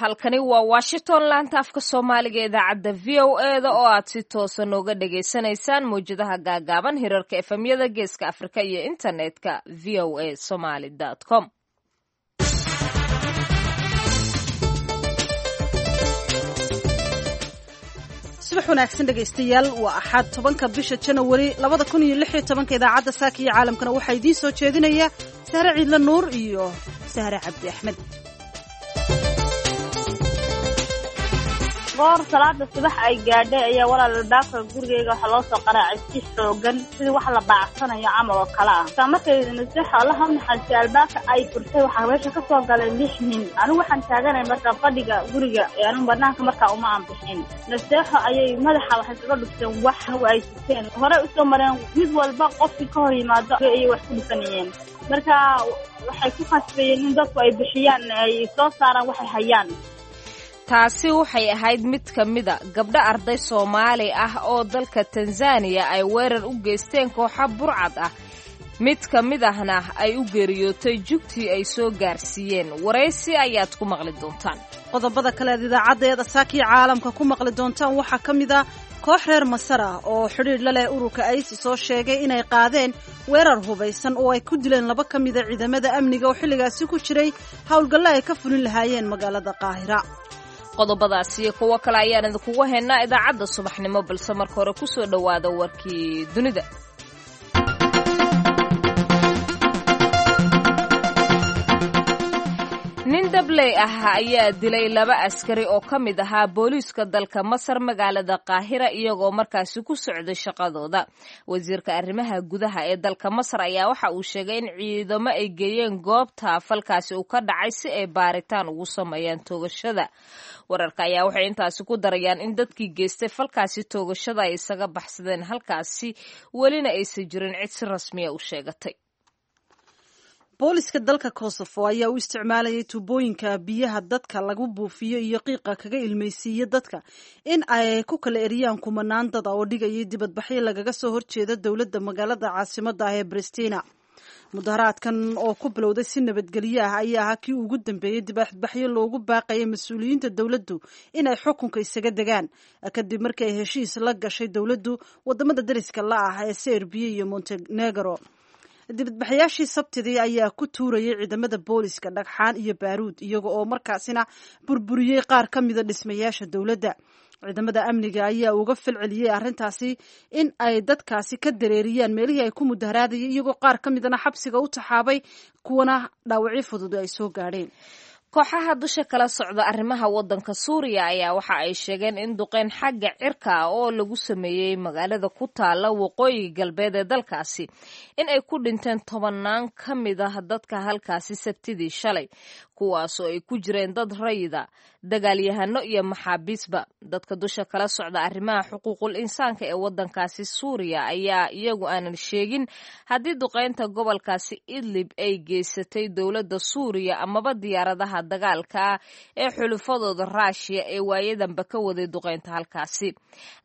Halkani waa Washington, laanta afka Soomaaliga, idaacadda VOA da oo aad si toosa nooga dhagaysanaysaan mawjadaha gaagaaban, hirarka FM-yada Geeska Afrika iyo internetka voasomali.com. Subax wanaagsan, dhegaystayaal. Waa Axad, 10-ka bisha Janawari 2016-ka. Idaacadda saaka iyo caalamkana waxaa idiin soo jeedinaya Sahre Ciidle Nuur iyo Sahre Cabdi Axmed. Goor salaada subax ay gaadhay ayaa, walaal, albaabka gurigeyga waxaa loo soo qaraacay si xoogan, sidii wax la baacsanayo camal oo kale ah. Taa markay Naseexa, Allaha u naxariistay, albaabka ay furtay, waxaa meesha ka soo galay lix nin. Anigu waxaan taaganay markaa fadhiga guriga ee anigu banaanka markaa uma aan bixin. Naseexo ayay madaxa waxay kaga dhufteen wax ay siteen, horey usoo mareen. Mid walba qofkii ka hor yimaado ayay wax ku dhufanayeen. Marka waxay ku khasbayeen in dadku ay bixiyaan, ay soo saaraan waxay hayaan. Taasi waxay ahayd mid ka mida gabdho arday Soomaali ah oo dalka Tanzaniya ay weerar u geysteen kooxa burcad ah, mid ka mid ahna ay u geeriyootay jugtii ay soo gaarsiiyeen. Waraysi ayaad ku maqli doontaan. Qodobada kale aad idaacaddeeda saakiyo caalamka ku maqli doontaan waxaa ka mid ah koox reer Masar ah oo xidhiidh la leh ururka ISIS oo sheegay inay qaadeen weerar hubaysan oo ay ku dileen laba ka mida ciidamada amniga oo xilligaasi ku jiray howlgalle ay ka fulin lahaayeen magaalada Qaahira. Qodobadaas iyo kuwo kale ayaan idinkugu haynaa idaacadda subaxnimo, balse marka hore kusoo dhowaada warkii dunida. Nin dabley ah ayaa dilay laba askari oo ka mid ahaa booliiska dalka Masar magaalada Qaahira, iyagoo markaasi ku socday shaqadooda. Wasiirka arrimaha gudaha ee dalka Masar ayaa waxa uu sheegay in ciidamo ay geeyeen goobta falkaasi uu ka dhacay si ay baaritaan ugu sameeyaan toogashada. Wararka ayaa waxay intaasi ku darayaan in dadkii geystay falkaasi toogashada ay isaga baxsadeen halkaasi, welina aysan jirin cid si rasmiya u sheegatay. Booliska dalka Kosovo ayaa u isticmaalayay tuubooyinka biyaha dadka lagu buufiyo iyo qiiqa kaga ilmaysiiya dadka in ay ku kala eriyaan kumanaan dada oo dhigayay dibadbaxyo lagaga soo horjeeda dowladda magaalada caasimada ah ee Bristina. Mudaharaadkan oo ku bilowday si nabadgelyo ah ayaa ahaa kii ugu dambeeyey dibadbaxyo loogu baaqayay mas-uuliyiinta dowladdu in ay xukunka isaga degaan, kadib markii ay heshiis la gashay dowladdu wadamada dariska la ah ee Serbiya iyo Montenegro. Dibadbaxayaashii Sabtidii ayaa ku tuurayay ciidamada booliska dhagxaan iyo baaruud, iyaga oo markaasina burburiyey qaar ka mida dhismayaasha dowladda. Ciidamada amniga ayaa uga falceliyey arrintaasi in ay dadkaasi ka dareeriyaan meelihii ay ku mudaharaadayay, iyagoo qaar ka midana xabsiga u taxaabay, kuwana dhaawacyo fudud ay soo gaadheen. Kooxaha dusha kala socda arrimaha waddanka Suuriya ayaa waxa ay sheegeen in duqeyn xagga cirka ah oo lagu sameeyey magaalada ku taala waqooyiga galbeed ee dalkaasi in ay ku dhinteen tobanaan ka mid ah dadka halkaasi Sabtidii shalay, kuwaasoo ay ku jireen dad rayida, dagaalyahano iyo maxaabiisba. Dadka dusha kala socda arrimaha xuquuqul insaanka ee waddankaasi Suuriya ayaa iyagu aanan sheegin haddii duqeynta gobolkaasi Idlib ay geysatay dowladda Suuriya amaba diyaaradaha dagaalka ah ee xulufadooda Raashiya ee waayadanba ka waday duqeynta halkaasi.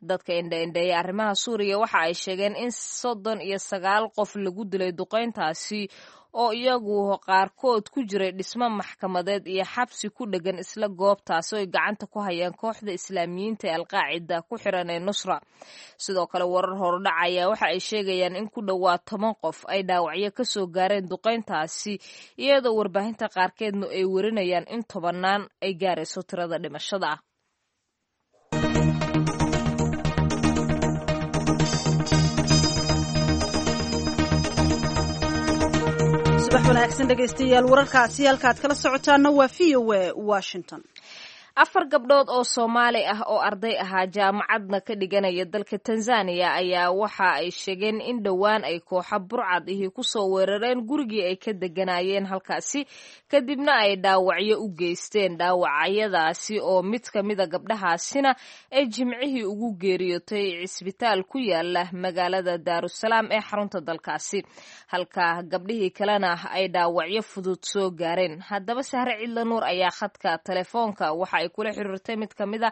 Dadka indhaindheeya arrimaha Suuriya waxa ay sheegeen in 39 qof lagu dilay duqeyntaasi, oo iyagu qaarkood ku jiray dhismo maxkamadeed iyo xabsi ku dhegan isla goobtaasi oo ay gacanta ku hayaan kooxda Islaamiyiinta ee Alqaacida ku xiran ee Nusra. Sidoo kale, warar horudhac ayaa waxa ay sheegayaan in ku dhowaad 10 qof ay dhaawacyo kasoo gaareen duqeyntaasi, iyadoo warbaahinta qaarkeedna ay warinayaan in tobanaan ay gaarayso tirada dhimashada ah. Subax wanaagsan, dhegaystayaal. Wararkaasi halkaad kala socotaana waa VOA Washington. Afar gabdhood oo Soomaali ah oo arday ahaa, jaamacadna ka dhiganaya dalka Tanzaniya, ayaa waxa ay sheegeen in dhowaan ay kooxa burcad ihi kusoo weerareen gurigii ay ka deganaayeen halkaasi, kadibna ay dhaawacyo u geysteen. Dhaawacyadaasi oo mid ka mida gabdhahaasina ay Jimcihii ugu geeriyootay cisbitaal ku yaala magaalada Daarusalaam ee xarunta dalkaasi, halka gabdhihii kalena ay dhaawacyo fudud soo gaareen. Haddaba, Sahre Cidla Nuur ayaa khadka telefoonka waxa kula xiriirtay mid ka mid a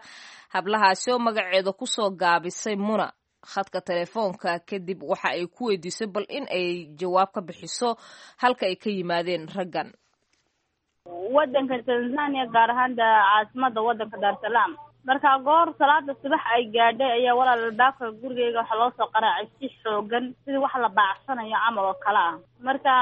hablahaasi oo magaceeda kusoo gaabisay Muna khadka telefoonka, kadib waxa ay ku weydiisay bal in ay jawaab ka bixiso halka ay ka yimaadeen raggan. Wadanka Tanzania, gaar ahaan caasimada wadanka Dar es Salaam. Marka goor salaada subax ay gaadhay ayaa walaal albaabka gurigeyga waxaa loo soo qaraacay si xoogan, sidii wax la baacsanayo camal oo kale ah. Marka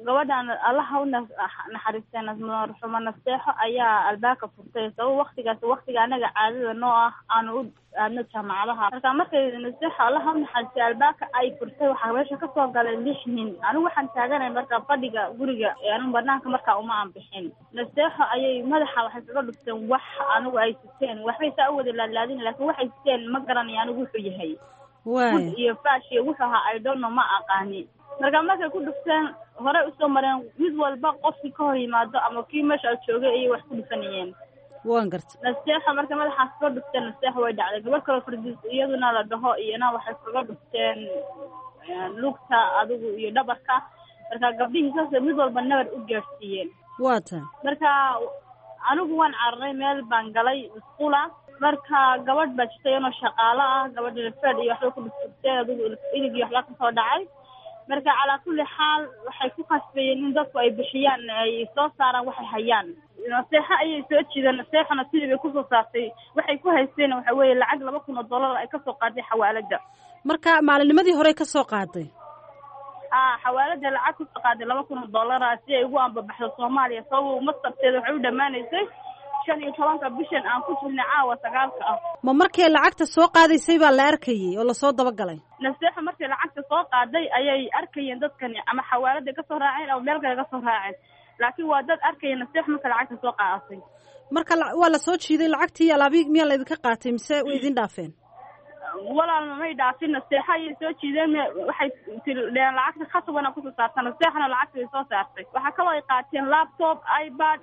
gabadhan, Allaha u naxariistay, marxuuma Nasteexo ayaa albaabka furtay, sabab waktigaas waktiga anaga caadada noo ah aanu u aadno jaamacadaha. Marka markay Nasteexo, Allaha u naxariistay, albaabka ay furtay, waxaa meesha kasoo galay 6 nin. Anigu waxaan taaganay marka fadhiga guriga, anigu banaanka markaa uma aan bixin. Nasteexo ayay madaxa waxay kaga dhufteen wax anigu ay siteen, waxbay saa u wada laadlaadin, laakiin waxay siteen ma garanayo anigu wuxuu yahay, bud iyo faash iyo wuxuu ahaa idonno ma aqaani. Marka markay ku dhufteen, horey usoo mareen, mid walba qofkii ka hor yimaado ama kii meesha joogay ayay wax ku dhufanayeen. Waan garta. Nasteexo marka madaxaas kaga dhufteen, Nasteexo way dhacday. Gabadh kaloo Fardiis iyaduna la dhaho iyana waxay kaga dhufteen lugta adigu iyo dhabarka. Marka gabdhihii saas mid walba nabar u gaadhsiiyeen. Waa tahay. Marka anigu waan cararay, meel baan galay musqula. Marka gabadh baa jirta iyadoo shaqaalo ah, gabadha fed iyo waxba ku dhuftay, adigu ilig iyo waxba kasoo dhacay. Marka calaa kulli xaal waxay ku khasbayeen in dadku ay bixiyaan, ay soo saaraan waxay hayaan. Naseexo ayay soo jiideen, naseexona sidii bay kusoo saartay. Waxay ku haysteen waxa weeye lacag $2000 ay kasoo qaaday xawaalada. Marka maalinimadii horey kasoo qaaday? A, xawaalada lacag kusoo qaaday $2000 si ay ugu ambabaxdo Soomaaliya, sabab mastarteeda waxay u dhammaanaysay 15-ka bishan aan ku jirnay, caawa 9-ka ah. Ma markay lacagta soo qaadaysay baa la arkayay oo lasoo dabagalay? Naseexo markay lacagta soo qaaday ayay arkayeen dadkani, ama xawaaladay kasoo raaceen ama meel kale kasoo raaceen, laakiin waa dad arkaya Naseexo marka lacagta soo qaadatay. Marka waa lasoo jiiday lacagtii, alaabi miyaa laydinka qaatay mise way idin dhaafeen? Walaalna may dhaafin. Naseexo ayay soo jiideen, waxay dheen lacagta khasabana kusoo saarta. Naseexona lacagta way soo saartay. Waxaa kaloo ay qaateen laptop, iPad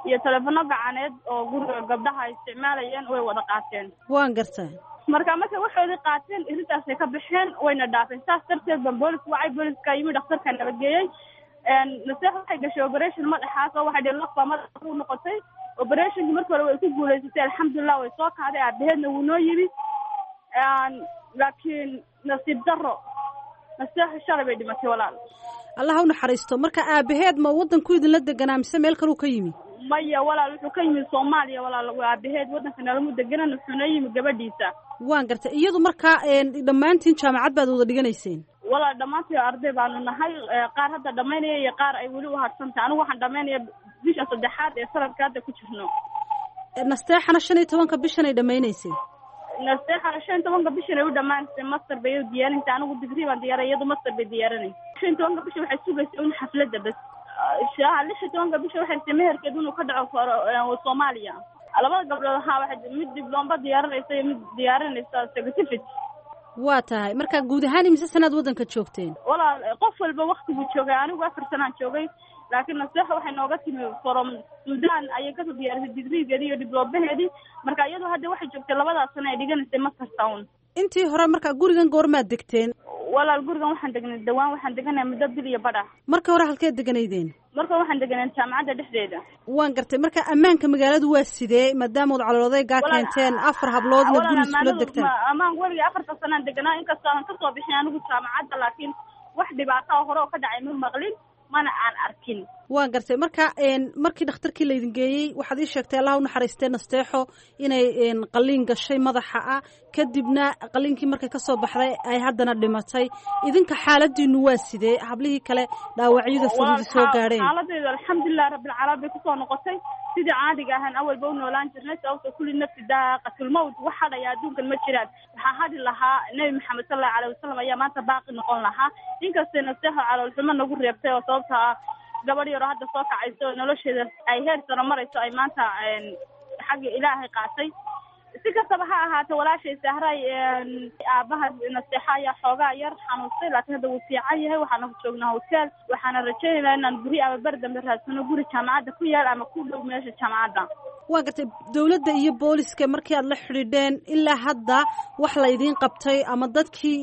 iyo telefono gacaneed oo guriga gabdhaha ay isticmaalayeen, way wada qaateen. Waan gartaa. Marka markay waxoodii qaateen, irintaasay ka baxeen, wayna dhaafeen. Saas darteed baan boolis wacay, booliska yimi, dhakhtarka nabageeyey. Naseex waxay gashay operation madaxaas oo waxay dheen lafbaa madaxa ku noqotay. Operationkii markii hore way ku guulaysatay, alxamdulilah, way soo kacday, aabaheedna wuu noo yimi, laakiin nasiib daro Naseexo shalay bay dhimatay, walaal. Allah u naxariisto. Marka aabaheed ma waddanku idinla deganaa mise meel kaluu ka yimi? Maya walaal, wuxuu ka yimi Soomaaliya. Walaal, aabaheed waddanka nalamu deganan, wuxuuna yimi gabadhiisa. Waan gartay. Iyadu markaa dhammaantiin jaamacad baad wada dhiganayseen? Walaal, dhammaantiin arday baanu nahay, qaar hadda dhamaynaya iyo qaar ay weli uhadsantahay. Anigu waxaan dhamaynaya bisha saddexaad ee sanadka hadda ku jirno. Nasteexana 15-ka bishan ay dhamaynaysay? Nasteexana 15-ka bishan ay u dhamaanaysay, master bay u diyaarinaysa. Anigu digrii baan diyaaray, iyadu master bay diyaarinaysa. 15-ka bisha waxay sugaysa un xafladda bas. 16-ka bisha waxay rabtay meherkeed inuu ka dhaco Soomaaliya. Labada gabdhood haa, waxay mid dibloomba diyaarinaysa iyo mid diyaarinaysa certificate. Waa tahay. Marka guud ahaan imise sanaad waddanka joogteen? Walaal, qof walba waktiguu joogay. Anigu 4 sanaan joogay, laakiin Naseexa waxay nooga timi from Sudan, ayay kasoo diyaarisay digrigeedii iyo dibloomaheedii. Marka iyadoo hadda waxay joogtay labadaas sano ay dhiganaysay master town. Intii hore marka gurigan goormaad degteen? Walaal, gurigan waxaan degnay dhawaan, waxaan deganay muddo bil iyo badh ah. Marka hore halkeed deganaydeen? Marka waxaan deganay jaamacadda dhexdeeda. Waan gartay. Marka ammaanka magaaladu waa sidee, maadaama ood caloodeegaa keenteen afar habloodna guri iskula degtaan? Ammaan weligii afarta sanaan deganaa, inkastoo aan kasoo bixin anigu jaamacadda, laakiin wax dhibaato hore oo ka dhacay ma maqlin, mana aan arkin. Waan gartay. Marka markii dhakhtarkii laydin geeyey, waxaad ii sheegtay, Allah u naxariistee, Nasteexo inay qaliin gashay madaxa ah, kadibna qaliinkii markay kasoo baxday ay haddana dhimatay. Idinka xaaladiinu waa sidee, hablihii kale dhaawacyada fududi soo gaadheen? Xaaladeedu alxamdulilah rabbilcaalamiin bay kusoo noqotay sidii caadiga ahaan awalba u noolaan jirnay, sababto kulli nafsi daaqatulmawt, wax hadhaya adduunkan ma jiraan. Waxaa hadhi lahaa Nebi Maxamed sal allahu alayh wasalam ayaa maanta baaqi noqon lahaa, inkastay Nasteexo caloolxumo nagu reebtay, oo sababta ah gabadh yaroo hadda soo kacayso oo nolosheeda ay heer sano marayso ay maanta xagga Ilaahay qaatay. Si kastaba ha ahaate, walaashay Sahray, aabaha Naseexa ayaa xoogaa yar xanuunstay, laakiin hadda wuu fiican yahay. Waxaana joognaa hotel, waxaana rajaynaynaa inaan guri ama ber dambe raadsano, guri jaamacadda ku yaal ama ku dhow meesha jaamacadda. Waa gartay. Dawladda iyo booliska markii aad la xidhiidheen, ilaa hadda wax la idiin qabtay ama dadkii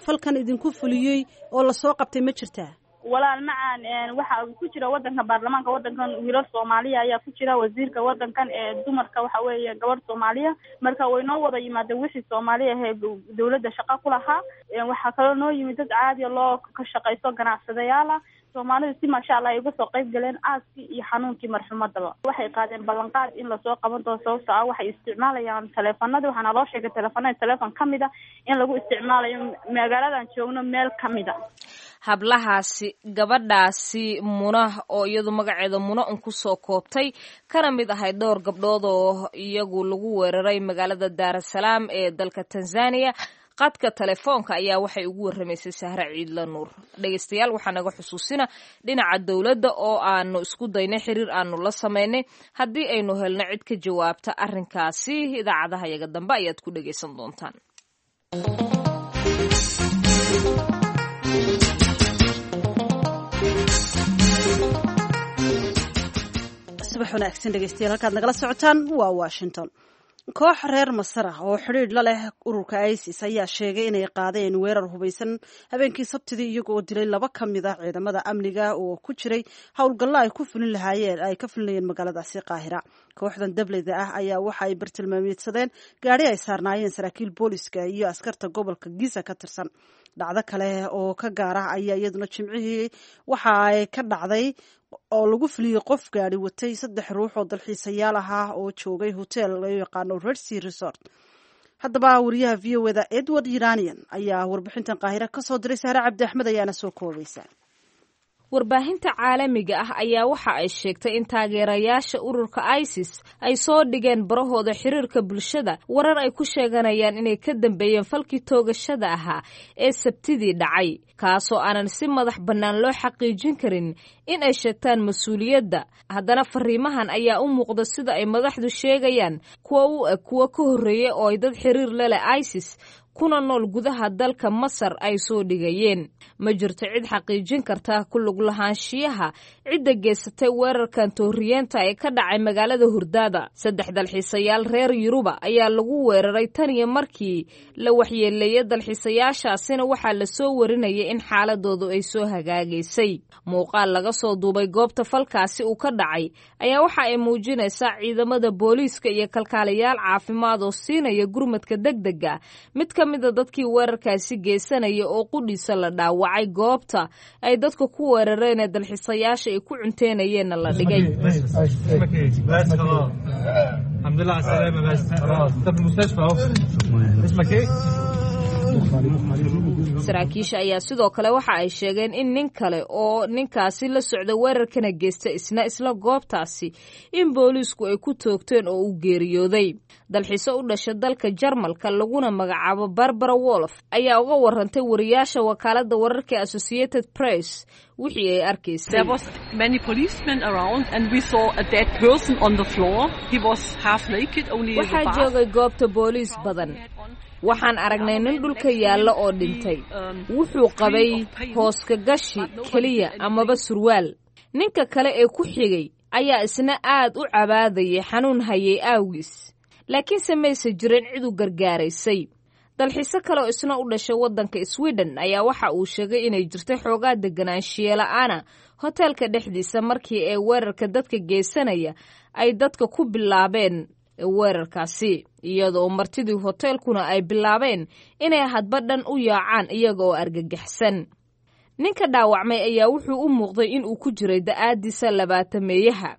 falkan idinku fuliyey oo lasoo qabtay ma jirtaa? Walaal macaan, waxa ku jira wadanka baarlamaanka wadankan wiilal Soomaaliya ayaa ku jira. Wasiirka wadankan ee dumarka waxa weeye gabadh Soomaaliya. Marka way noo wada yimaadeen wixii Soomaaliya ahee dawladda shaqo ku lahaa. Waxaa kaloo noo yimid dad caadiya loo ka shaqaysto, ganacsadayaal ah. Soomaalida si maasha Allah ay uga soo qayb galeen aaskii iyo xanuunkii marxumadaba. Waxay qaadeen ballanqaad in lasoo qaban doono, sababto ah waxay isticmaalayaan taleefanadii. Waxaana loo sheegay taleefanada taleefon ka mid a in lagu isticmaalayo magaaladan joogno meel ka mid a. Hablahaasi, gabadhaasi Muna oo iyadu magaceeda Muna un kusoo koobtay, kana mid ahay dhowr gabdhood oo iyagu lagu weeraray magaalada Daarasalaam ee dalka Tanzania, qadka telefoonka ayaa waxay ugu warramaysay Sahre Ciidla Nuur. Dhegeystayaal, waxaa naga xusuusina dhinaca dowladda oo aanu isku daynay xiriir aanu la samaynay. Haddii aynu helno cid ka jawaabta arrinkaasi, idaacadaha yaga dambe ayaad ku dhegeysan doontaan. Subax wanaagsan dhegeystayaal, halkaad nagala socotaan waa Washington. Koox reer Masar ah oo xidhiidh la leh ururka ISIS ayaa sheegay inay qaadeen weerar hubaysan habeenkii Sabtidii, iyaga oo dilay laba ka mid ah ciidamada amniga oo ku jiray howlgallo ay ku fulin lahaayeen ay ka fulinayeen magaaladaasi Qaahira. Kooxdan dableyda ah ayaa waxa ay bartilmaameedsadeen gaadhi ay saarnaayeen saraakiil booliska iyo askarta gobolka Giza ka tirsan. Dhacdo kale oo ka gaar ah ayaa iyaduna Jimcihii waxa ay ka dhacday oo lagu fuliyey qof gaadhi watay saddex ruux oo dalxiisayaal ahaa oo joogay hotel loo yaqaano Red Sea Resort. Haddaba wariyaha VOA da Edward Iranian ayaa warbixintan Qaahira kasoo diray. Sahre Cabdi Axmed ayaana soo koobaysa. Warbaahinta caalamiga ah ayaa waxa ay sheegtay in taageerayaasha ururka ISIS ay soo dhigeen barahooda xiriirka bulshada warar ay ku sheeganayaan inay ka dambeeyeen falkii toogashada ahaa ee Sabtidii dhacay, kaasoo aanan si madax bannaan loo xaqiijin karin in ay sheegtaan mas-uuliyadda. Haddana fariimahan ayaa u muuqda, sida ay madaxdu sheegayaan, kuwa u eg kuwo ka horreeyay oo ay dad xiriir la leh ISIS kuna nool gudaha dalka Masar ay soo dhigayeen. Ma jirto cid xaqiijin karta ku lug lahaanshiyaha cidda geysatay weerarkan tooriyeenta ee ka dhacay magaalada Hurdaada. Saddex dalxiisayaal reer Yuruba ayaa lagu weeraray tan iyo markii la waxyeeleeyay dalxiisayaashaasina waxaa lasoo warinayay in xaaladoodu ay soo hagaagaysay. Muuqaal laga soo duubay goobta falkaasi uu ka dhacay ayaa waxa ay muujinaysaa ciidamada booliiska iyo kalkaaliyaal caafimaad oo siinaya gurmadka degdega mid ka mida dadkii weerarkaasi geysanaya oo qudhiisa la dhaawacay, goobta ay dadka ku weerareen ee dalxiisayaasha ay ku cunteynayeenna la dhigay. الحمد لله على السلامة، بس خلاص انت في المستشفى اهو. اسمك ايه؟ Saraakiisha ayaa sidoo kale waxa ay sheegeen in nin kale oo ninkaasi la socda weerarkana geysta isna isla goobtaasi in booliisku ay ku toogteen oo uu geeriyooday. Dalxiiso u dhasha dalka Jarmalka laguna magacaabo Barbara Wolf ayaa uga warantay wariyaasha wakaaladda wararka Associated Press wixii ay arkaysay. There was many policemen around and we saw a dead person on the floor. He was half naked, only the Waxaa bath. joogay goobta booliis badan. Waxaan aragnay nin dhulka yaalla oo dhintay. Wuxuu qabay hooska gashi keliya amaba surwaal. Ninka kale ee ku xigay ayaa isna aad u cabaadayay xanuun hayay aawgiis, laakiinse mayse jirin cid u gargaaraysay. Dalxiiso kale oo isna u dhashay waddanka Sweden ayaa waxa uu sheegay inay jirtay xoogaa deganaanshiye la'aana hoteelka dhexdiisa markii ee weerarka dadka geysanaya ay dadka ku bilaabeen weerarkaasi, iyadoo martidii hoteelkuna ay bilaabeen inay hadba dhan u yaacaan iyaga oo argagaxsan. Ninka dhaawacmay ayaa wuxuu u muuqday inuu ku jiray da'aadiisa labaatameeyaha,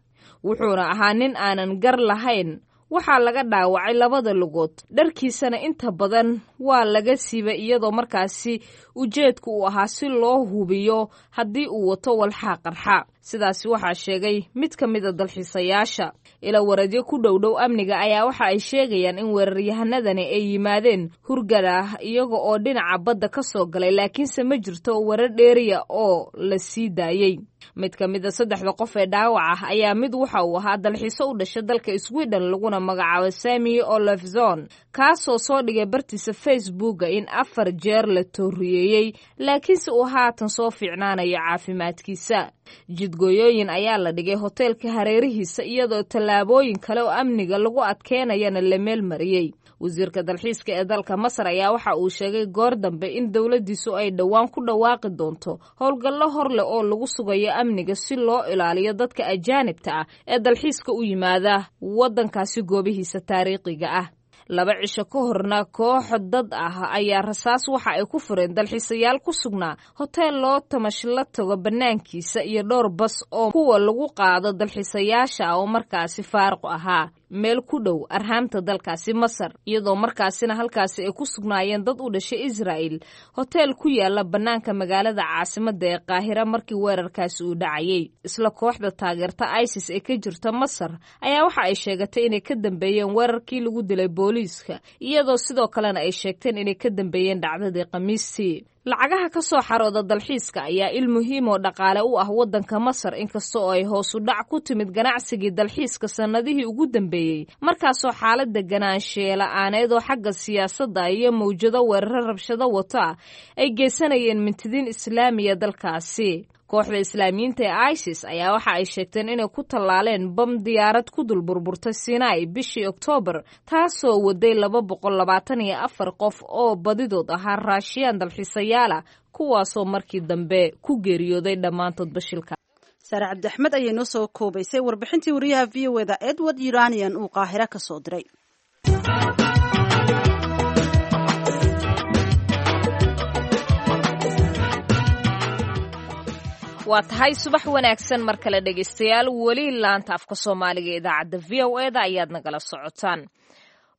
wuxuuna ahaa nin aanan gar lahayn. Waxaa laga dhaawacay labada lugood, dharkiisana inta badan waa laga siibay, iyadoo markaasi ujeedku uu ahaa si loo hubiyo haddii uu wato walxaa qarxa. Sidaasi waxaa sheegay mid ka mida dalxiisayaasha. Ila waradyo ku dhowdhow amniga ayaa waxa ay sheegayaan in weeraryahanadani ay yimaadeen hurgada ah iyaga oo dhinaca badda ka soo galay, laakiinse ma jirto warar dheeriya oo la sii daayey. Mid ka mida saddexda qof ee dhaawac ah ayaa mid waxa uu ahaa dalxiiso u dhashay dalka Sweden laguna magacaabo Sami Olofzon, kaasoo soo dhigay bartiisa Facebooka in afar jeer la tooriyeeyey, laakiinse uu haatan soo fiicnaanayo caafimaadkiisa. Jidgooyooyin ayaa la dhigay hoteelka hareerihiisa, iyadoo tallaabooyin kale oo amniga lagu adkeynayana la meel mariyey. Wasiirka dalxiiska ee dalka Masar ayaa waxa uu sheegay goor dambe in dowladdiisu ay dhowaan ku dhawaaqi doonto howlgallo hor leh oo lagu sugayo amniga si loo ilaaliyo dadka ajaanibta ah ee dalxiiska u yimaada waddankaasi goobihiisa taariikhiga ah. 2 cisho ka horna koox dad ah ayaa rasaas waxa ay ku fureen dalxiisayaal ku sugnaa hoteel loo tamash la tago bannaankiisa iyo dhowr bas oo kuwa lagu qaado dalxiisayaasha ah oo markaasi faaruq ahaa meel ku dhow arhaamta dalkaasi Masar, iyadoo markaasina halkaasi ay ku sugnaayeen dad u dhashay Israa'il hoteel ku yaala bannaanka magaalada caasimadda ee Qaahira markii weerarkaasi uu dhacayay. Isla kooxda taageerta ISIS ee ka jirta Masar ayaa waxa ay sheegatay inay ka dambeeyeen weerarkii lagu dilay booliiska, iyadoo sidoo kalena ay sheegteen inay ka dambeeyeen dhacdadii Khamiistii. Lacagaha ka soo xarooda dalxiiska ayaa il muhiim oo dhaqaale u ah waddanka Masar, inkasta oo ay hoos u dhac ku timid ganacsigii dalxiiska sannadihii ugu dambeeyey, markaasoo xaaladda ganaansheela'aaneed oo xagga siyaasadda iyo mawjado weeraro rabshado wato ah ay geysanayeen mintidiin islaamiya dalkaasi. Kooxda islaamiyiinta ee ISIS ayaa waxa ay sheegteen inay ku tallaaleen bam diyaarad ku dul burburtay Sinai bishii Oktoobar, taasoo waday 224 qof oo badidood ahaa Raashiyaan dalxiisayaal ah, kuwaasoo markii dambe ku geeriyooday dhammaantood bashilka. Saare Cabdi Axmed ayay noo soo koobaysay warbixintii wariyaha v o eda Edward Uranian uu Qaahira ka soo diray. Waa tahay, subax wanaagsan mar kale dhegaystayaal. Weli laanta afka Soomaaliga ee idaacadda v o eda ayaad nagala socotaan.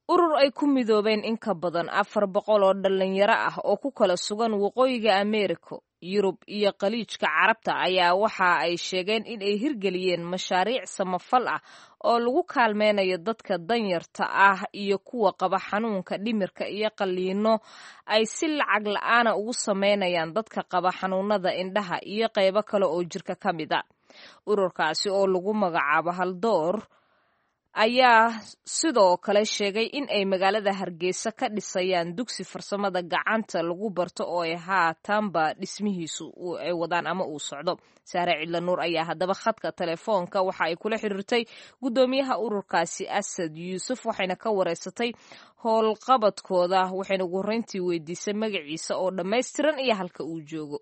Urur ay ku midoobeen in ka badan 400 oo dhalinyaro ah oo ku kala sugan Waqooyiga Ameerika, Yurub iyo Khaliijka Carabta ayaa waxa ay sheegeen in ay hirgeliyeen mashaariic samafal ah oo lagu kaalmeynayo dadka danyarta ah iyo kuwa qaba xanuunka dhimirka, iyo qalliino ay si lacag la'aana ugu sameynayaan dadka qaba xanuunada indhaha iyo qaybo kale oo jirka ka mid a. Ururkaasi oo lagu magacaabo Haldoor ayaa sidoo kale sheegay in ay magaalada Hargeysa ka dhisayaan dugsi farsamada gacanta lagu barto oo ay haatanba dhismihiisu ay wadaan ama uu socdo. Saare Cidla Nuur ayaa haddaba khadka telefoonka waxa ay kula xiriirtay guddoomiyaha ururkaasi Asad Yuusuf, waxayna ka wareysatay howlqabadkooda, waxayna ugu horreyntii weydiisay magaciisa oo dhammaystiran iyo halka uu joogo.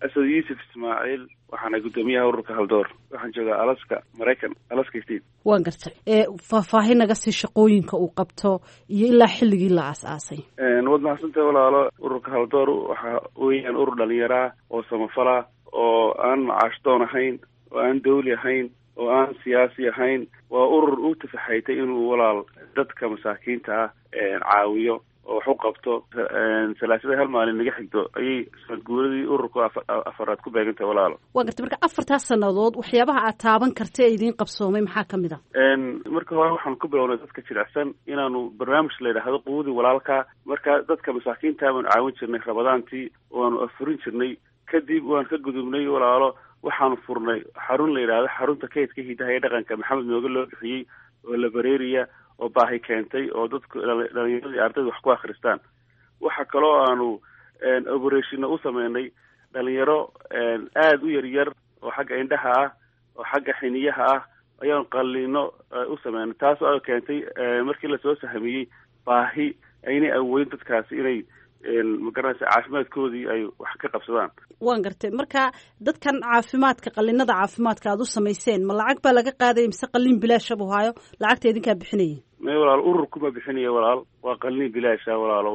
Asad Yuusuf Ismaaciil, waxaana guddoomiyaha ururka Haldoor. Waxaan joogaa Alaska, Maraykan, Alaska State. Waan gartay. Faahfaahin naga sii shaqooyinka uu qabto iyo ilaa xilligii la aas-aasay. Waad mahadsantahay walaalo. Ururka Haldoor waxa weeyaan urur dhalinyaraa oo samafala, oo aan macaashdoon ahayn, oo aan dawli ahayn, oo aan siyaasi ahayn. Waa urur u tafaxaytay inuu walaal dadka masaakiinta ah caawiyo oo wax u qabto. Salaasada hal maalin naga xigto ayay sanad guuradii ururka afaraad ku beegantahay walaalo. Waa gartay. Marka afartaas sannadood waxyaabaha aad taaban karta ee idiin qabsoomay maxaa ka mid a? Marka hore waxaan ku bilownay dadka jilicsan inaanu barnaamij la yidhaahdo Quudi Walaalka. Marka dadka masaakiinta baanu caawin jirnay Rabadaantii, waanu afurin jirnay. Kadib waan ka gudubnay walaalo, waxaanu furnay xarun la yidhaahdo xarunta kaydka hidaha ee dhaqanka Maxamed Mooge loo bixiyey, oo la bareeriya oo baahi keentay, oo dadku dhalinyaradii ardayda wax ku akhristaan. Waxa kaloo aanu operationna u sameynay dhalinyaro aada u yaryar oo xagga indhaha ah oo xagga xiniyaha ah ayaanu qalliino u sameynay, taasoo ay keentay markii lasoo sahmiyey baahi aynay awoodin dadkaasi inay magaranaysa caafimaadkoodii ay wax ka qabsadaan. Waan gartay. Marka dadkan caafimaadka, qallinada caafimaadka aada u samayseen, ma lacag baa laga qaadaya mise qalliin bilaasha buu haayo, lacagta idinkaa bixinaya? May walaal, ururkuma bixinaya walaal, waa qalliin bilaasha walaalo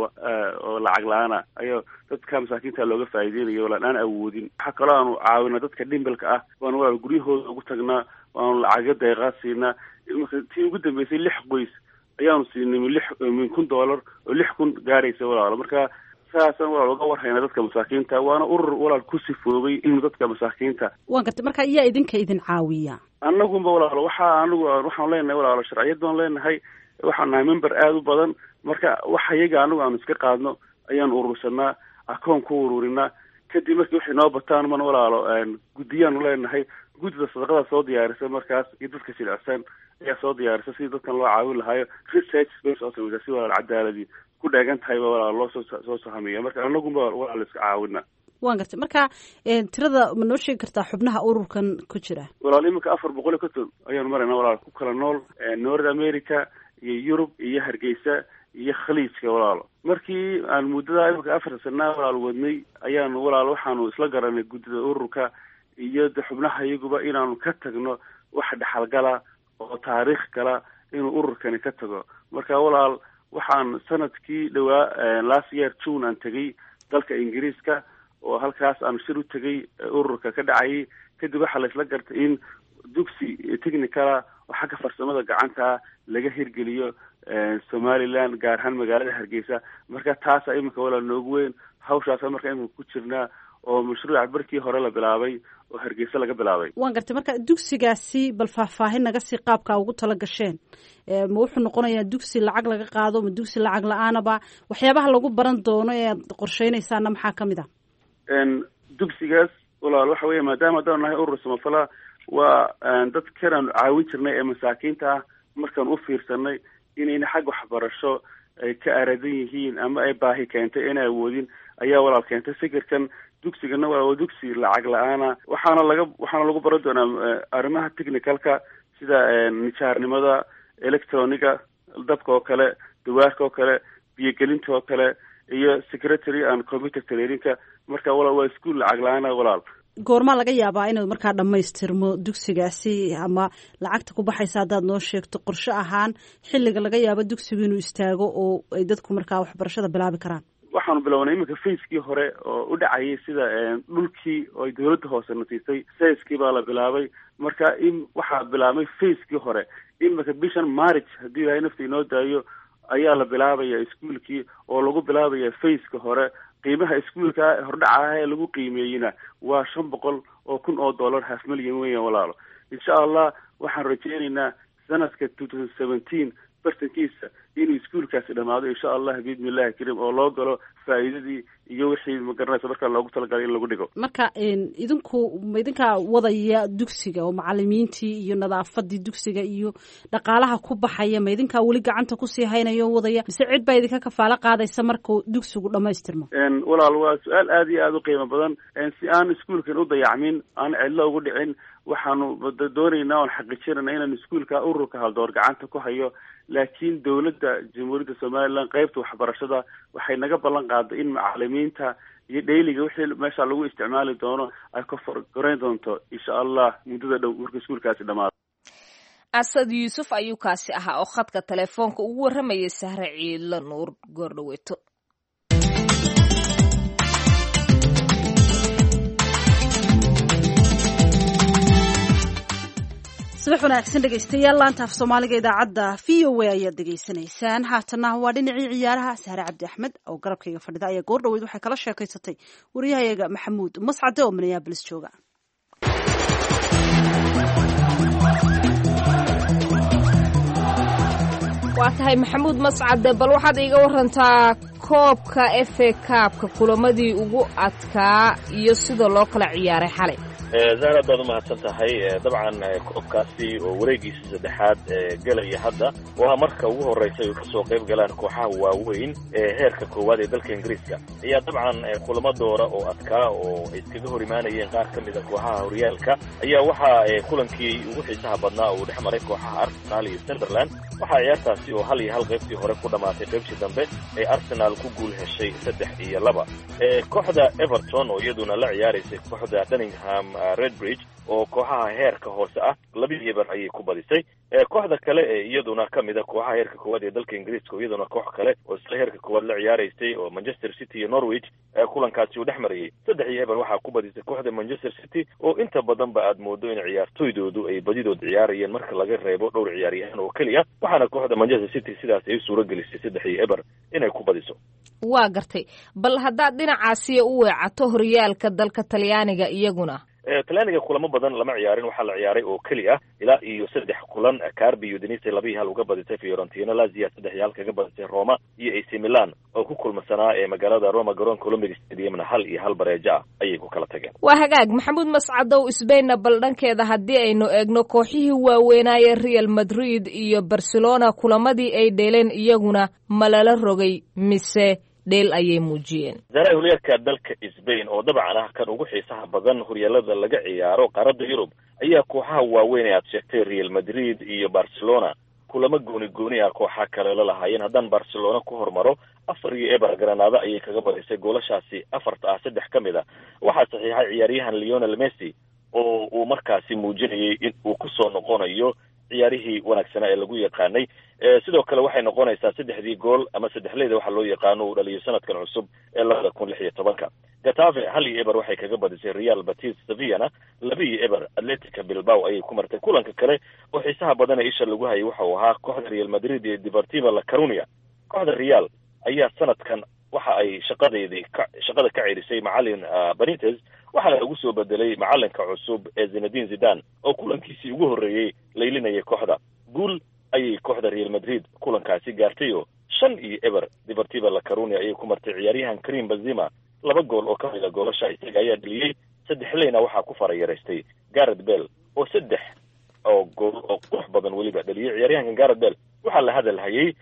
oo lacag la-aana ayaa dadka masaakiinta looga faa'iideynaya walaal aan awoodin. Waxaa kaloo aanu caawinaa dadka dhimbilka ah, waanu walaal guryahooda ugu tagnaa, waanu lacagyo deeqaa siinaa. Marka tii ugu dambeysay lix qoys ayaanu siinay min $1000 oo 6000 gaaraysa walaalo. Marka saasaan walaal uga warhaynaa dadka masaakiinta, waana urur walaal ku sifoobay inuu dadka masaakiinta. Waan gartay. Marka iyaa idinka idin caawiya? Annagunba walaalo, waxaa anigu waxaanu leenahay walaalo sharciyad baan leenahay, waxaan nahay member aada u badan. Marka wax iyaga anigu aanu iska qaadno ayaan urursanaa, akoon ku ururinaa. Kadib markii waxay noo bataan man walaalo guddiyaanu leenahay, guddida sadaqada soo diyaarisa markaas iyo dadka jilicsan ayaa soo diyaarisa sidii dadkan loo caawin lahaayo. Research bay soo sameysaa si walaal cadaaladii ku dheegan tahayba walaal loo soo sahamiya. Marka anagunba walaal iska caawina. Waan gartay. Marka tirada ma noo sheegi kartaa xubnaha ururkan ku jira? Walaal iminka 450 ayaanu maraynaa walaal, ku kala nool North America, Iyo Yurub iyo Hargeysa iyo Khaliijka, walaalo. Markii aan muddada imika 4 sanaa, walaal, wadnay, ayaanu, walaal, waxaanu isla garanay guddida ururka iyo de xubnaha iyaguba inaanu ka tagno wax dhexalgala oo taariikh gala inuu ururkani ka tago. Marka, walaal, waxaan sanadkii dhawaa, last year June, aan tegay dalka Ingiriiska oo halkaas aan shir u tegay ururka ka dhacayay. Kadib waxaa la isla gartay in dugsi technical ah oo xagga farsamada gacanta laga hirgeliyo Somaliland, gaar ahaan magaalada Hargeysa. Marka taasa iminka, walaal, noogu weyn hawshaasa. Marka iminka ku jirnaa oo mashruuca barkii hore la bilaabay oo Hargeysa laga bilaabay. Waan gartay. Marka dugsigaasi bal faahfaahin naga sii qaabka ugu tala gasheen. Ma wuxuu noqonayaa dugsi lacag laga qaado, ma dugsi lacag la-aanaba? Waxyaabaha lagu baran doono ee aad qorsheynaysaana maxaa kamid ah? Dugsigaas, walaal, waxa weya maadaama haddaan nahay urur samafala, waa dadkan aanu caawin jirnay ee masaakiinta ah, markaan u fiirsanay inayna xag waxbarasho ay ka aradan yihiin ama ay baahi keentay inay awoodin, ayaa, walaal, keentay fikirkan. Dugsigana waa dugsi lacag la-aana, waxaana lagu baran doonaa arrimaha technicalka sida nijaarnimada, electroniga, dabka oo kale, dawaarka oo kale, biyogelinta oo kale iyo secretary and computer trainingka. Marka, walaal, waa iskuol lacag la-aana, walaal. Goormaa laga yaabaa inuu markaa dhammaystirmo dugsigaasi, ama lacagta ku baxaysa haddaad noo sheegto, qorshe ahaan xilliga laga yaabo dugsigu inuu istaago oo ay dadku markaa waxbarashada bilaabi karaan? Waxaanu bilownay iminka phase-kii hore oo u dhacayay sida dhulkii oo ay dawladda hoose na siisay. Phase-kii baa la bilaabay. Marka in waxaa bilaabmay phase-kii hore iminka bishan March, haddii Ilahay nafta inoo daayo, ayaa la bilaabaya iskuolkii oo lagu bilaabaya phase-ka hore. Qiimaha iskuolka hordhaca ah ee lagu qiimeeyeyna waa $500,000, half million weyan, walaalo. Insha Allah waxaan rajeynaynaa sanadka 2017 bartankiisa inuu iskuolkaasi dhamaado, insha Allah, biidni illahi karim, oo loo galo faa'iidadii iyo wixii, ma garanaysa, markaa loogu talagalay in lagu dhigo. Marka idinku ma idinkaa wadaya dugsiga oo macalimiintii iyo nadaafadii dugsiga iyo dhaqaalaha ku baxaya ma idinkaa weli gacanta kusii haynaya oo wadaya, mise cid baa idinka kafaalo qaadaysa markuu dugsigu dhamaystirmo? Walaal, waa su-aal aada iyo aada u qiimo badan. Si aan iskuolkan u dayacmin, aan cidlo ugu dhicin, waxaanu doonaynaa oon xaqiijinayna inaan iskuolka ururka Haldoor gacanta ku hayo. Laakiin dowladda Jamhuuriyadda Somaliland qeybta waxbarashada waxay naga ballan qaaday in macalimiinta iyo dhayliga wixii meesha lagu isticmaali doono ay ka forgoreyn doonto, insha Allah, muddada dhow marka iskuolkaasi dhamaado. Asad Yuusuf ayuu kaasi ahaa oo khadka telefoonka ugu warramayay Sahre Ciidlo Nuur goordhaweeto. Subax wanaagsan, dhegeystayaal. Laanta af Soomaaliga idaacadda VOA ayaad dhegeysanaysaan. Haatana waa dhinacii ciyaaraha. Sahre Cabdi Axmed oo garabkayga fadhida ayaa goor dhaweyd waxay kala sheekaysatay wariyahayaga Maxamuud Mascade oo Minneapolis jooga. Waa tahay, Maxamuud Mascade, bal waxaad iiga warantaa koobka FA Cup-ka, kulamadii ugu adkaa iyo sida loo kala ciyaaray xalay. Zahra, baad umahadsan tahay. Dabcan koobkaasi oo wareegiisa saddexaad gelaya hadda waa marka ugu horreysa ay kasoo qayb galaan kooxaha waaweyn ee heerka koowaad ee dalka Ingiriiska, ayaa dabcan kulamo doora oo adkaa oo ay iskaga hor imaanayeen qaar ka mid a kooxaha horyaalka ayaa waxaa kulankii ugu xiisaha badnaa uu dhex maray kooxaha Arsenal iyo Sunderland. Waxaa ciyaartaasi oo 1-1 qaybtii hore ku dhammaatay, qaybtii dambe ay Arsenal ku guul heshay 3-2. Kooxda Everton oo iyaduna la ciyaaraysay kooxda Dunningham Redbridge oo kooxaha heerka hoose ah, 2-0 ayay ku badisay. Kooxda kale ee iyaduna ka mid a kooxaha heerka koowaad ee dalka Ingiriiska oo iyaduna koox kale oo isla heerka koowaad la ciyaaraysay oo Manchester City iyo Norwich kulankaasi uu dhex marayay, 3-0 waxaa ku badisay kooxda Manchester City oo inta badanba aad moodo in ciyaartoydoodu ay badidood ciyaarayeen marka laga reebo dhowr ciyaaryahan oo keliya. Waxaana kooxda Manchester City sidaas ay u suura gelisay 3-0 inay ku badiso. Waa gartay. Bal haddaad dhinacaasiya u weecato horyaalka dalka Talyaaniga iyaguna? Talyaaniga kulamo badan lama ciyaarin. Waxaa la ciyaaray oo keli ah ilaa iyo saddex kulan. Carpi Udinese 2-1 uga badisay Fiorentina, Lazia 3-1 kaga badisay Roma, iyo AC Milan oo ku kulmasanaa ee magaalada Roma garoonka Olympic Stadiumna 1-1 bareejo ah ayay ku kala tageen. Waa hagaag, Maxamuud Mascadow. Sbainna bal dhankeeda haddii aynu eegno, kooxihii waaweynaaye Real Madrid iyo Barcelona kulamadii ay dheeleen iyaguna ma lala rogay mise dheel ayay muujiyeen? Zara, horyaalka dalka Sbain oo dabcan ah kan ugu xiisaha badan horyaalada laga ciyaaro qaaradda Yurub ayaa kooxaha waaweyn ee aad sheegtay, Real Madrid iyo Barcelona, Kulamo gooni gooni ah kooxa kale la lahaayeen. Haddaan Barcelona ku hormaro, 4-0 Granada ayay kaga badisay. Goolashaasi afarta ah, saddex ka mid a waxaa saxiixay ciyaaryahan Lionel Messi, oo uu markaasi muujinayay in uu kusoo noqonayo ciyaarihii wanaagsanaa ee lagu yaqaanay. Sidoo kale waxay noqonaysaa saddexdii gool ama saddexleyda waxa loo yaqaano uu dhaliyo sanadkan cusub ee 2016-ka. Getafe 1-0 waxay kaga badisay Real Betis, Sevillana 2-0 Atletica Bilbao ayay ku martay. Kulanka kale oo xiisaha badan ee isha lagu hayay waxa uu ahaa kooxda Real Madrid iyo Deportiva La Coruña. Kooxda Real ayaa sanadkan waxa ay shaqadeedii shaqada ka cerisay macalin Benitez, waxaana lagu soo bedelay macalinka cusub ee Zinedine Zidane, oo kulankiisii ugu horreeyey laylinayay kooxda. Guul ayay kooxda Real Madrid kulankaasi gaartay oo 5-0 Deportiva La Coruña ayay ku martay. Ciyaaryahan Karim Benzema laba gool oo ka mida goolasha isaga ayaa dhaliyey, saddexleyna waxaa ku farayaraystay Gareth Bale, oo saddex oo gool oo qurux badan weliba dhaliyey. Ciyaaryahankan Gareth Bale waxaa la hadal hayay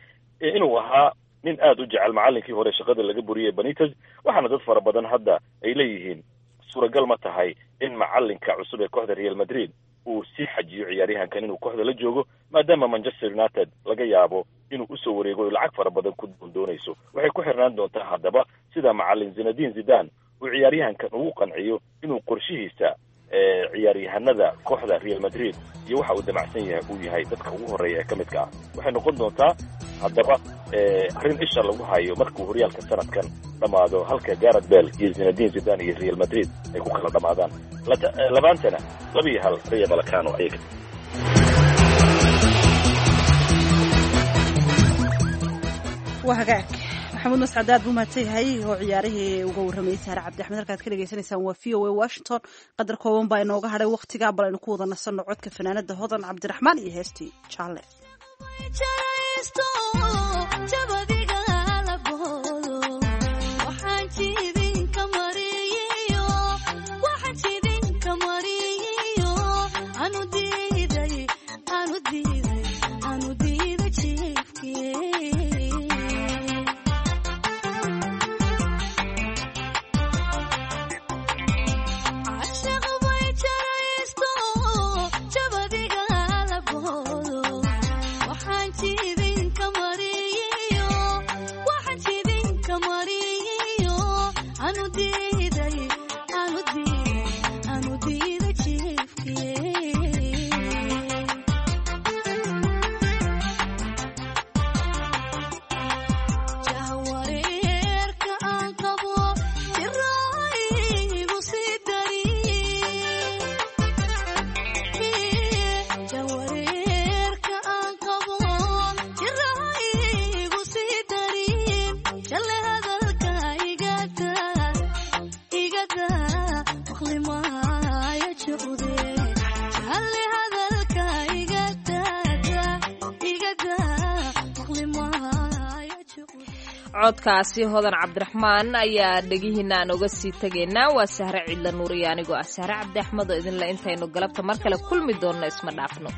inuu ahaa nin aada u jecel macalinkii hore shaqada laga buriyey Benitez, waxaana dad fara badan hadda ay leeyihiin suuragal ma tahay in macalinka cusub ee kooxda Real Madrid uu sii xajiyo ciyaaryahankan inuu kooxda la joogo, maadaama Manchester United laga yaabo inuu usoo wareego lacag fara badan ku doondoonayso. Waxay ku xirnaan doontaa haddaba sida macalin Zinedine Zidane uu ciyaaryahankan ugu qanciyo inuu qorshihiisa ciyaaryahanada kooxda Real Madrid iyo waxa uu damacsan yahay uu yahay dadka ugu horreeya ee ka midka ah. Waxay noqon doontaa haddaba arrin isha lagu hayo markuu horyaalka sanadkan dhammaado, halka Gareth Bale iyo Zinedine Zidane iyo Real Madrid ay ku kala dhammaadaan. Labaantana 2-1 Rayo Vallecano ayay. Waa hagaag, Maxamuud Mascad aad buu mahadsan yahay oo ciyaarihii uga warramayay Saare Cabdi Axmed. Halkaad ka dhegeysanaysaan waa VOA Washington. Qadar kooban baa inooga hadhay waqtiga, bal aynu ku wada nasanno codka fanaanada Hodan Cabdiraxmaan iyo heestii Jaalle. Codkaasi Hodan Cabdiraxmaan ayaa dhegihiina aan oga sii tegaynaa. Waa Sahre Ciidla Nuuriyo anigoo ah Sahre Cabdi Axmed oo idinle intaynu galabta mar kale kulmi doonno isma dhaafno.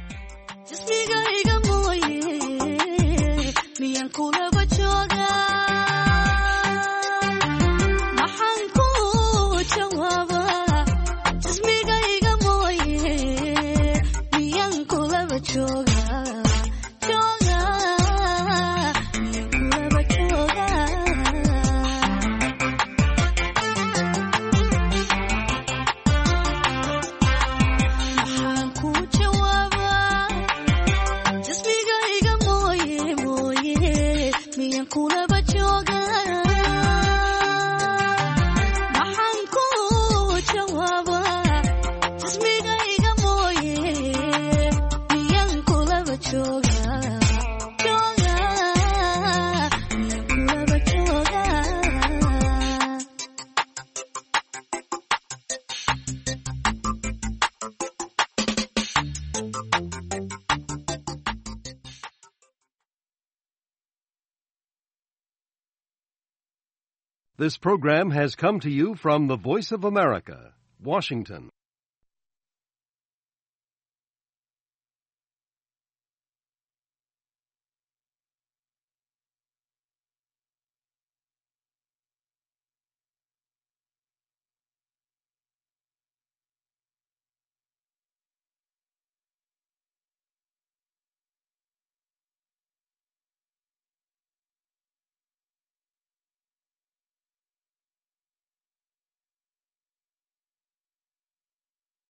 This program has come to you from the Voice of America, Washington.